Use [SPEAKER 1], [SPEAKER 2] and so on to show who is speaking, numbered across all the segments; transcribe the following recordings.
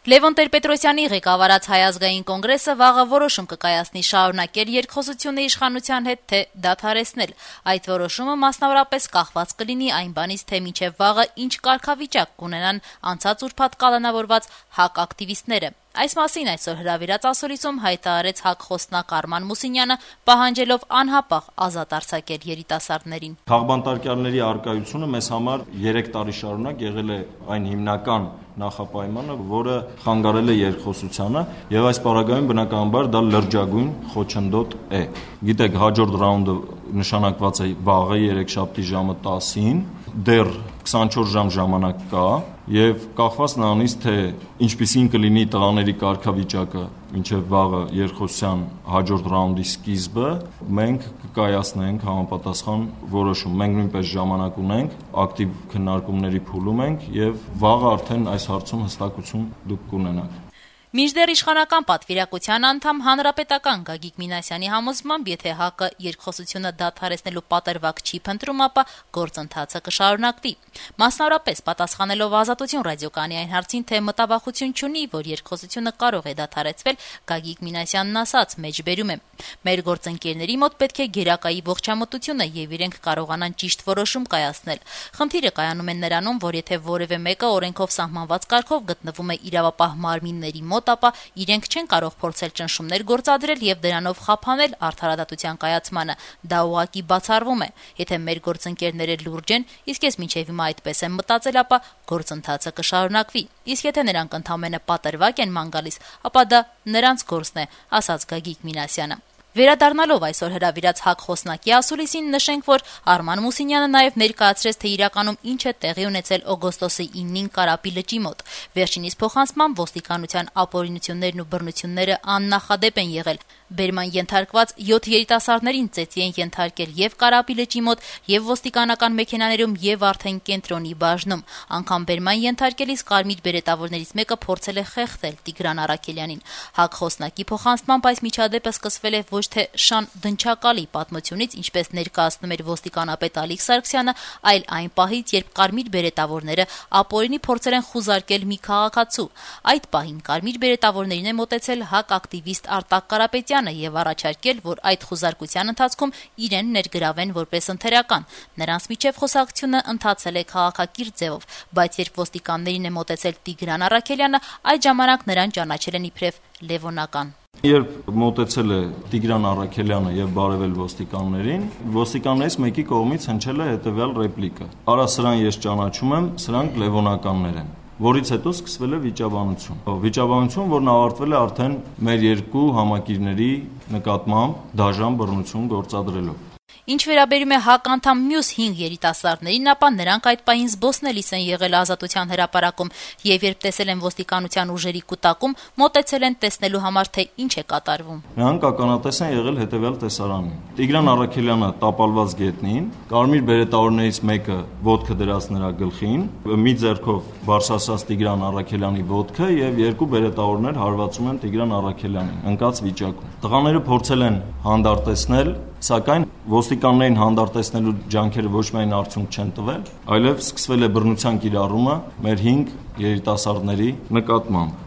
[SPEAKER 1] Լևոն Տեր-Պետրոսյանի ղեկավարած Հայ ազգային կոնգրեսը վաղը որոշում կկայացնի շարունակել երկխոսությունը իշխանության հետ, թե դադարեցնել։ Այդ որոշումը մասնավորապես կախված կլինի այն բանից, թե մինչև վաղը ինչ կարգավիճակ կունենան անցած ուրբաթ կալանավորված ՀԱԿ ակտիվիստները։ Այս մասին այսօր հրավիրած ասուլիսում հայտարարեց ՀԱԿ խոսնակ Արման Մուսինյանը, պահանջելով անհապաղ ազատ արձակել երիտասարդներին։
[SPEAKER 2] Քաղբանտարկյալների առկայությունը մեզ համար 3 տարի շարունակ եղել է այն հիմնական նախապայմանը, որը խանգարել է երկխոսությանը, եւ այս պարագայում բնականաբար դա լրջագույն խոչընդոտ է։ Գիտեք, հաջորդ ռաունդը նշանակված է վաղը երեքշաբթի ժամը 10-ին, դեռ 24 ժամ ժամանակ կա, եւ կախված նրանից, թե ինչպիսին կլինի տղաների կարգավիճակը մինչև վաղը երկխոսության հաջորդ ռաունդի սկիզբը, մենք կկայացնենք համապատասխան որոշում։ Մենք նույնպես ժամանակ ունենք, ակտիվ քննարկումների փուլում ենք եւ վաղը արդեն այս հարցում հստակություն դուք կունենաք։
[SPEAKER 1] Մինչդեռ իշխանական պատվիրակության անդամ Հանրապետական Գագիկ Մինասյանի համոզմամբ, եթե ՀԱԿ-ը երկխոսությունը դադարեցնելու պատրվակ չի փնտրում, ապա գործընթացը կշարունակվի։ Մասնավորապես պատասխանելով Ազատություն ռադիոկայանի այն հարցին, թե մտավախություն չունի, որ երկխոսությունը կարող է դադարեցվել, Գագիկ Մինասյանն ասաց, մեջբերում է. «Մեր գործընկերների մոտ պետք է գերակայի ողջամտությունը եւ իրենք կարողանան ճիշտ որոշում կայացնել։ Խնդիրը կայանում է նրանում, որ եթե որևէ մեկը օրենքով սահմանված կարգով գտնվում է իրավապահ մարմինների մոտ, ապա իրենք չեն կարող փորձել ճնշումներ գործադրել եւ դրանով խափանել արդարադատության կայացմանը։ Դա ուղղակի բացառվում է։ Եթե մեր գործընկերները լուրջ են, իսկ ես մինչեւ հիմա այդպես եմ մտածել, ապա գործընթացը կշարունակվի։ Իսկ եթե նրանք ընդամենը պատրվակ են ման գալիս, ապա դա նրանց գործն է», ասաց Գագիկ Մինասյանը։ Վերադառնալով այսօր հրավիրած ՀԱԿ խոսնակի ասուլիսին, նշենք, որ Արման Մուսինյանը նաև ներկայացրեց, թե իրականում ինչ է տեղի ունեցել օգոստոսի 9-ին Կարապի լճի մոտ։ Վերջինիս փոխանցմամբ ոստիկանության ապօրինություններն ու բռնությունները աննախադեպ են եղել։ Բերման ենթարկված 7 երիտասարդներին ծեծի են ենթարկել եւ Կարապի լճի մոտ, եւ ոստիկանական մեքենաներում, եւ արդեն կենտրոնի բաժնում։ Անգամ բերման ենթարկելիս կարմիր բերետավորներից մեկը փորձել է խեղդել Տիգրան Առաքելյանին։ ՀԱԿ խոսնակի փոխանցմամբ այս միջադեպը սկսվել է ոչ թե շան դնչակալի պատմությունից, ինչպես ներկայացնում էր ոստիկանապետ Ալիկ Սարգսյանը, այլ այն պահից, երբ կարմիր բերետավորները ապօրինի փորձել են խուզարկել մի քաղաքացու։ Այդ պահին կարմիր բերետավորներին է մոտեցել ՀԱԿ ակտիվիստ Արտակ Կարապետյանը եւ առաջարկել, որ այդ խուզարկության ընթացքում իրեն ներգրավեն որպես ընթերական։ Նրանց միջև խոսակցությունը ընթացել է քաղաքակիրթ ձևով, բայց երբ ոստիկաններին է մոտեցել Տիգրան Առաքելյանը, այդ ժամանակ նրան ճանաչել են իբրև լևոնական։
[SPEAKER 2] Երբ մոտեցել է Տիգրան Առաքելյանը եւ բարեվել ոստիկաններին, ոստիկաններից մեկի կողմից հնչել է հետեւյալ ռեպլիկը. «Արա, սրան ես ճանաչում եմ, սրանք լևոնականներ են», որից հետո սկսվել է վիճաբանություն, որն ավարտվել է արդեն մեր երկու համակիրների նկատմամբ դաժան բռնություն գործադրելով։
[SPEAKER 1] Ինչ վերաբերում է ՀԱԿ անդամ մյուս 5 երիտասարդներին, ապա նրանք այդ պահին զբոսնելիս են եղել Ազատության հրապարակում եւ երբ տեսել են ոստիկանության ուժերի կուտակում, մոտեցել են տեսնելու համար, թե ինչ է կատարվում։
[SPEAKER 2] Նրանք ականատես են եղել հետեւյալ տեսարանին. Տիգրան Առաքելյանը տապալված գետնին, կարմիր բերետավորներից մեկը ոտքը դրած նրա գլխին, մի ձեռքով բարձրացած Տիգրան Առաքելյանի ոտքը եւ երկու բերետավորներ հարվածում են Տիգրան Առաքելյանին ընկած վիճակում։ Տղաները փորձել են հանդարտեցնել, սակայն ոստիկաններին հանդարտեցնելու ջանքերը ոչ միայն արդյունք չեն տվել, այլև սկսվել է բռնության կիրառումը մեր 5 երիտասարդների նկատմամբ։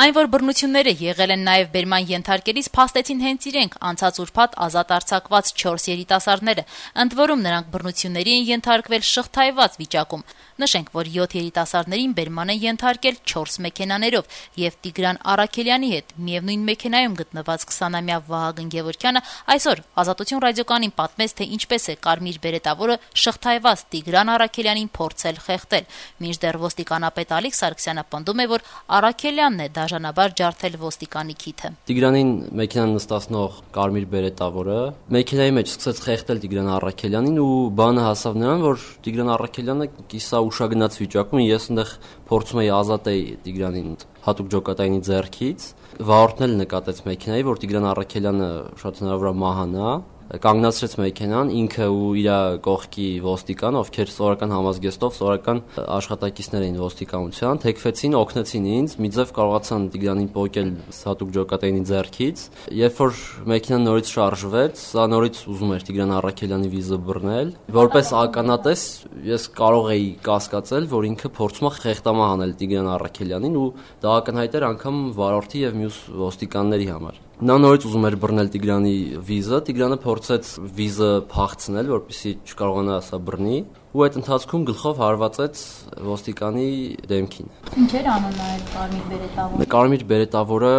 [SPEAKER 1] Այն, որ բռնությունները եղել են նաև բերման ենթարկելիս, փաստեցին հենց իրենք անցած ուրբաթ ազատ արձակված 4 երիտասարդները, ընդ որում նրանք բռնությունների են ենթարկվել շղթայված վիճակում։ Նշենք, որ 7 երիտասարդներին բերման են ենթարկել 4 մեքենաներով եւ Տիգրան Առաքելյանի հետ միևնույն մեքենայում գտնված 20-ամյա Վահագն Գևորգյանը այսօր Ազատություն ռադիոկայանին պատմեց, թե ինչպես է կարմիր բերետավորը շղթայված Տիգրան Առաքելյանին փորձել խեղդել։ Մինչդեռ ոստիկանապետ Ալիկ Սարգսյանը պնդում է, որ Առաքելյանն է դաժանաբար ջարդել ոստիկանի քիթը։
[SPEAKER 3] Տիգրանին մեքենան նստացնող կարմիր բերետավորը մեքենայի մեջ սկսեց խեղդել Տիգրան Առաքելյանին ու բանը հասավ նրան, որ Տիգրան Առաքելյանը կիսա ուշագնաց վիճակում, ես այնտեղ փորձում էի ազատել Տիգրանին հատուկ ջոկատայինի ձեռքից, վարորդն էլ նկատեց մեքենայի, որ Տիգրան Առաքելյանը շատ հնարավոր է մահանա, կանգնացրեց մեքենան, ինքը ու իր կողքի ոստիկան, ովքեր սովորական համազգեստով, սովորական աշխատակիցներ էին ոստիկանության, թեքվեցին, օգնեցին ինձ, մի ձև կարողացան Տիգրանին պոկել հատուկ ջոկատայինի ձեռքից։ Երբ որ մեքենան նորից շարժվեց, սա նորից ուզում էր Տիգրան Առաքելյանի վիզը բռնել։ Որպես ականատես ես կարող էի կասկածել, որ ինքը փորձում է խեղդամահ անել Տիգրան Առաքելյանին ու դա ակնհայտ էր անգամ վարորդի եւ մյուս ոստիկանների համար։ Նա նորից ուզում էր բռնել Տիգրանի վիզը, Տիգրանը փորձեց վիզը փախցնել, որպեսզի չկարողանա սա բռնի, ու այդ ընթացքում գլխով հարվածեց ոստիկանի դեմքին։
[SPEAKER 1] Ինչ էր անում այդ կարմիր բերետավորը։
[SPEAKER 3] Կարմիր բերետավորը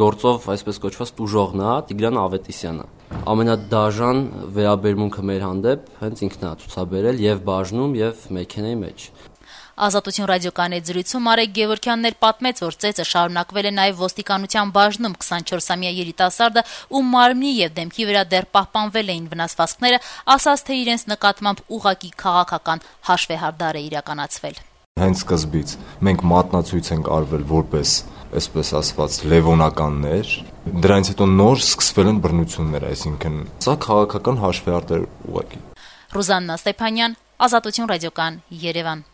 [SPEAKER 3] գործով այսպես կոչված տուժողն է, Տիգրան Ավետիսյանը։ Ամենադաժան վերաբերմունքը մեր հանդեպ հենց ինքն է ցուցաբերել եւ բաժնում եւ մեքենայի մեջ։
[SPEAKER 1] Ազատություն ռադիոկայանի զրույցում Արեգ Գևորգյանն պատմեց, որ ծեծը շարունակվել է նաև ոստիկանության բաժնում 24-ամյա երիտասարդը, ում մարմնի եւ դեմքի վրա դեռ պահպանվել էին վնասվածքները, ասաց, թե իրենց նկատմամբ ուղղակի քաղաքական հաշվեհարդար է իրականացվել։
[SPEAKER 4] Հենց սկզբից մենք մատնացույց ենք արվել որպես, այսպես ասված, լևոնականներ, դրանից հետո նոր սկսվել են բռնություններ, այսինքն սա քաղաքական հաշվեհարդար ուղղակի։
[SPEAKER 1] Ռուզաննա Ստեփանյան, Ազատություն ռադիոկայան, Երևան։